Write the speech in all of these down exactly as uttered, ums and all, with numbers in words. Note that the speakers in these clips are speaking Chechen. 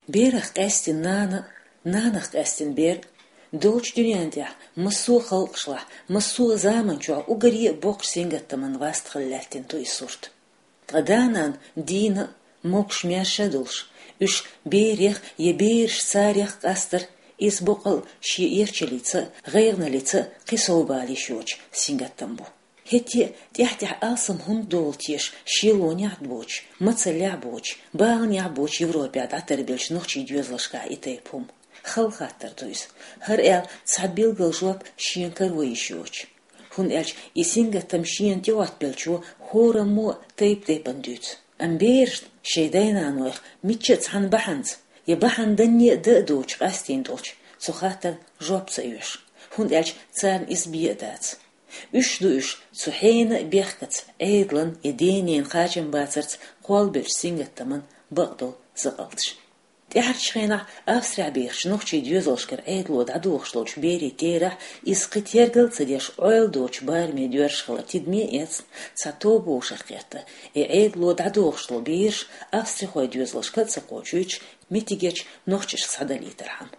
Берах къаьстина нана, нанах къаьстина бер, долчу дуьнен тӀехь массо а халкъашлахь, массо а заманчохь уггаре а боккхачу сингаттаман васт хила лаьттина ду и сурт. Ткъа да-нана дийна а, могуш-маьрша а долуш, уьш берех я бераш царех къастар, иза боккъал шен эрчаллица а, гӀайгӀаналлица а кхин совбала йиш йоцу сингаттам бу. ХӀетте а тӀаьхь-тӀаьхьа алсам хӀунда долу теша шелонехь а боцуш, мацаллехь а боцуш, баланехь а боцуш Европехь дӀатарбеллачу нохчийн доьзалшкахь и тайпа хӀума? Хала хаттар ду иза. ХӀара аьлла цхьа билггал жоп шена каро йиш йоцуш. ХӀунда аьлча и сингаттам шена тӀехӀоттабеллачо хӀораммо а тайп-тайпана дуьйцу. Амма берашна шайн дай-нанойх мичча а цхьана бахьанца, я бахьана данне а дан а доцуш къастийна долчу цу хаттарна жоп ца оьшу, хӀунда аьлча царна иза бен а дац. Уьш ду уьш цу хьенан а бехкаца, Ӏедалан я ден-ненан кхачамбацарца кхоллабеллачу сингаттаман бакъдолу закъалташ. ТӀаьхьарчу хенахь Австрехь бехачу нохчийн доьзалшкара Ӏедало дӀадохуш долчу берийн терахь иза кхин тергал а ца деш, Ӏойла доцучу бараме доьрзуш хилар тидаме а эцна, цхьа тоба вовшах кхетта, и Ӏедало дӀадохуш долу бераш австрихойн доьзалшка а ца кхочуьйтуш, меттигерчу нохчашка схьадалийтархьама.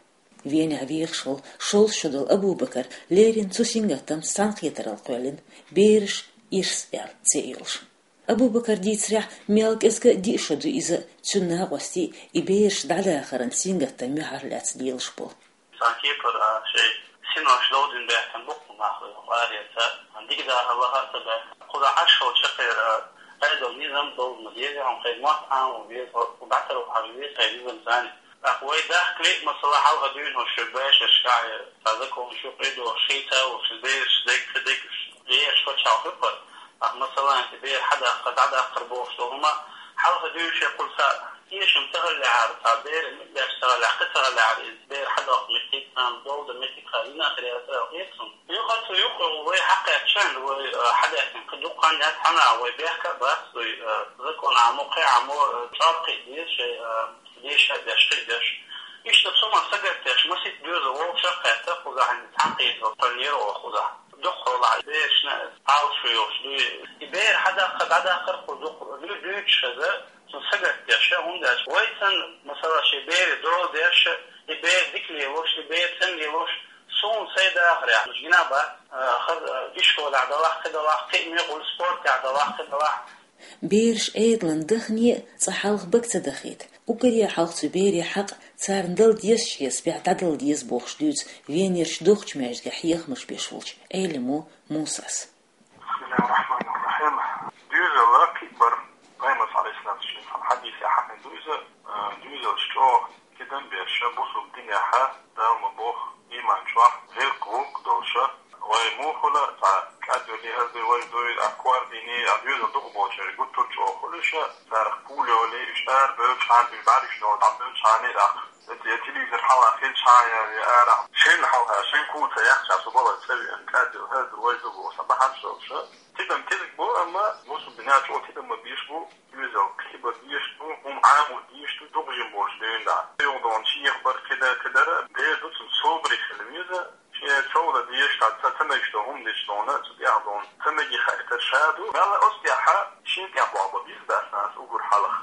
Венехь вехаш волу шовзткъа шо долу Абу-Бакар леррина цу сингаттамца цхьаьнакхетаралла кхоьллина, «Бераш ирс» аьлла цӀе йолуш. Абу-Бакара дийцарехь, мел кӀезиг а диъ шо ду иза, цуьнан накъостий и бераш дӀадахаран сингаттам юьхьарлаьцна лелаш болу. Сан кепара, а, шайн синош довдина баьхкина бу-кх нах вай хӀокху аренца, дика дахар лаха а ца баьхкина. Кхузахь Ӏаш волчу чаккхера, а, Ӏедал низам долу ма деза, хьуна хай мотт Ӏамо веза, хӀокху дӀатарвахьар веза хай низам царна. ТӀаккха вай дахкале а, масала, хьалха дуьйна хӀокху шуьга бешаршкахь, цхьа закон шу къедохуш, шийтта а вохуш, бераш дерг, кхин дерг, бераш пачхьалкх хӀуьппара. Ахьа, масала, и бер хьадаккхар, дӀадаккхар бохуш долу хӀума, хьалха дуьйна шен кхуза цхьа эшам ца хиллехьара, цхьа беран муьтӀ деш ца хиллехь, кхин ца хиллехьара, иза бер хьадоккху меттиг, царна долу дан меттиг хилла йина а хир яцара аьлла хета суна. Юха цу юкъа вай хьакхаьчча, вай, а, хьадеъна кхин дукха хан яц, хьан а вай бехк а бац, вай, а, закон Ӏамо, кхин Ӏамо, а, чӀогӀа кхиа деза шайн, а, деша а деш, кхин а деш. Иштта цу ма сагатдеш, масийтта доьзал вовшах а кхетта, кхузахь цхьаьна кхетар тойнера оха кхузахь. Дукхахьолахь берашна Ӏалашо йолуш дуй. И бер хьадаккха, дӀадаккхар кху дукха дуй дуьйцуш хеза, цунна сагатдеш, хӀунда аьлча вай санна, масала, шен бере дола деш, и бер дика лелош, и бер цӀена лелош, суна сайн дахарехь, гина бац, а, хаза, а, ишколехь далахь, кхин далахь, кхин а мехула спортехь далахь, кхин далахь. Бераш Ӏедалан дахане а цкъа хьалха бага ца дахийта, уггаре а хьалха цу берийн хьакъ царна дала дезачу хьесапехь дӀадала деза бохуш дуьйцу Венерчу духучу маьждигехь хьехамаш беш волчу Ӏелимо Мусас. Бисмиллахир-рахманир-рахим. Доьзал кхин а бара, Пайхамарс, алейхиссалату вассалам, хьадисехь хьахийна ду иза, а, доьзалш чӀогӀа кидам берш, бусулба динехь, Дала ма боху, иман чохь гӀиллакх-гӀуллакх долуш, вай мухула цхьа кӀадвелли хӀара дуй, вай дуй, а кор дийни, а доьзал дукха болчеран гуттар а чӀогӀа хуьлуш, царах пуля йолий, уьш арабевлчхьана, уьш бӀаьргаш долу дӀабевлчхьана, тӀаккха я телевизор хьалха хилчхьана, я, я арахь, шен хьалха, шен куца яхча, цу бала цӀа веана, кӀадвелла хӀара ду, вай ду бохуш, бахьанаш долуш. Тидам кӀезиг бу, амма бусулба динехь чӀогӀа тидам ма беш бу, доьзал кхиба дезаш ду, хӀума Ӏамо дезаш ду, дукха жима болчу дуьйна дӀа. Юха дона шех бар кхида, кхидара, бер ду цунна собаре хила веза, шен чӀогӀа дезаш, ца, ца мегаш долу хӀума дечу дона, цу тӀехь дона, ца мегий хаийтар ша ду. Мелла оцу тӀехь шен тӀехь боху бан беза дац нанас уггар хьалха.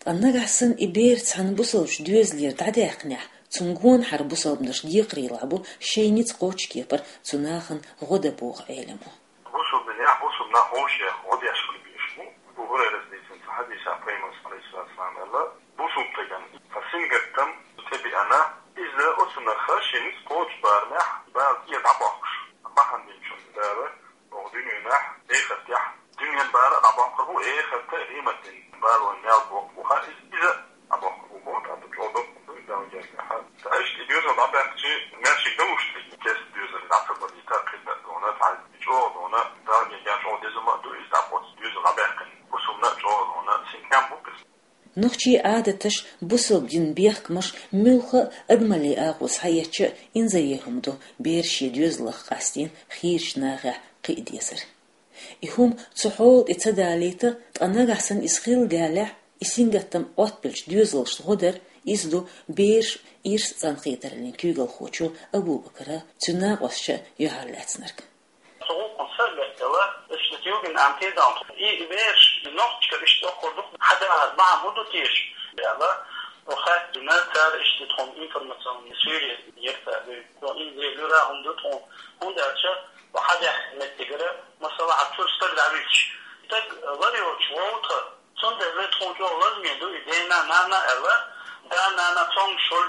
Ткъа нагахь санна и бер цхьана бусалбачу доьзалера дӀадаьккхинехь, цунна гонахьара бусалбанаш декхарийлахь бу шайн ницкъ кхочу кепара цу нахана гӀо дан боху Ӏелимо. Бусулба динехь бусулба нах вовшех гӀо деш хила безаш бу. Абу Хурайрас дийцинчу хьадисехь Пайхамарс, алейхиссалату вассалам, аьлла: «Бусулба стеган цхьа сингаттам цу тӀе беана, иза оцунах шен ницкъ кхочу барамехь бала тӀера дӀабоккхуш, бахьана динчунна Дала оха дуьненахь, эхартехь, дуьненан бала а дӀабоккхур бу, эхарта а, къематдийнан балонан мел боккхур бу, ха, иза, иза а дӀабоккхур бу, боху, тӀаккха чӀогӀа доккхур ду, Далла гергахьа. Ткъа иштта и доьзал дӀабаьккхича, маьршиг далуш тӀе кест доьзал дӀа ца бадийта, кхидӀа а дона, цхьа чӀогӀа дона, Далла гергахь чӀогӀа деза ма а ду, иза дӀакхоьца доьзал дӀабаьккхина, бусулба нах а чӀогӀа дона, синтем бу иза». Нохчийн Ӏадаташ, бусалба динан бехкамаш муьлхха а адамаллин агӀо схьаэцча а инзаре хӀума ду бераш шен доьзалах къастийна хийрачу нахехь кхиа дезар. И хӀума цу хьола тӀе ца далийта, ткъа нагахь санна иза хилла даьллехь, и сингаттам Ӏоттабеллачу доьзалшна гӀо дар, иза ду бераш ирс цӀанкхетараллин куьйгалхочо Абу-Бакара, цуьнан накъосташа юьхьарлаьцнарг. Цу гӀуллакхна сагатделла, иштта югин амтидал, и бераш нохчашкара иштта доккхур ду, хьадахар бахьана хӀун ду теша аьлла, Охатина цара иштта тхуна информационный связи ерта дуй. Ин лура хӀунда тхуна, хӀунда аьлча, хьадаьхкина меттигара, масала, а чур стаг дӀавилча. Стаг лар йоцуш вовтха, цундела тхуна чӀогӀа лазаме ду и дена, нана аьлла, да, нана, цомгушула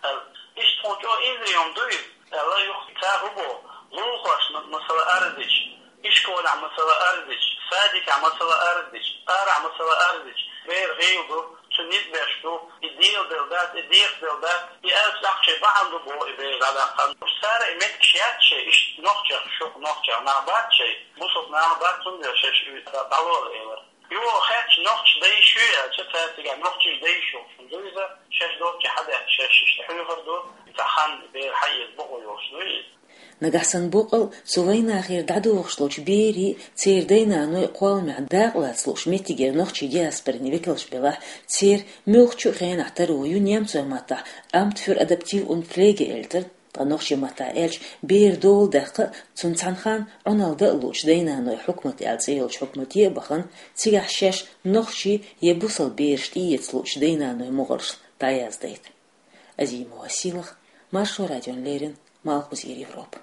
аьлла. Иштта тхуна чӀогӀа инзаре йома ду иза аьлла, юха ца хӀу бо, лулахошна, масала, арз дича, ишколехь, масала, арз дича, садикехь, масала, арз дича, арахь, масала, арз дича, бер гӀийла ду, цу низ беш ду, и дегӀаделла дац, и декхаделла дац, и аьлча тӀаккха шайн бахьана ду боху и бер дӀадаккха. Цара и меттигаш яц шайн, иштта нохчех, шух нохчех нах бац шайн, бусалба нах бац, цундела шаьш и дӀалола элира. Юха хаьттича, нохчий дай шу яьлча, цара цигахь нохчий дай шу, ду иза, шаьш доцчу хьадаьхкича, шаьш иштта хьоьхур ду, цхьа хан бер хьаэца бакъо йолуш ду иза. Нагахь санна боккъал а цу вайнахера дӀадохуш долчу берийн, церан дай-наной кхолламехь дакъалаца лууш меттигера нохчийн диаспорин векалш белахь, церан муьлххачу а хенахь таро ю немцойн маттахь Amt für Adoption und Pflege, элира, ткъа нохчийн маттахь аьлча, бер дола даккха а, цунна цхьана ханна Ӏуналла дан а луучу дай-наной хьукмат аьлла цӀе йолчу хьукмате а бахана, цигахь шаьш нохчий я бусалба бераш тӀеэца луучу дай-наной мухӀарш дӀаяздайта. Азима Василах, Маршо радиона леррина, Малхбузера Европа.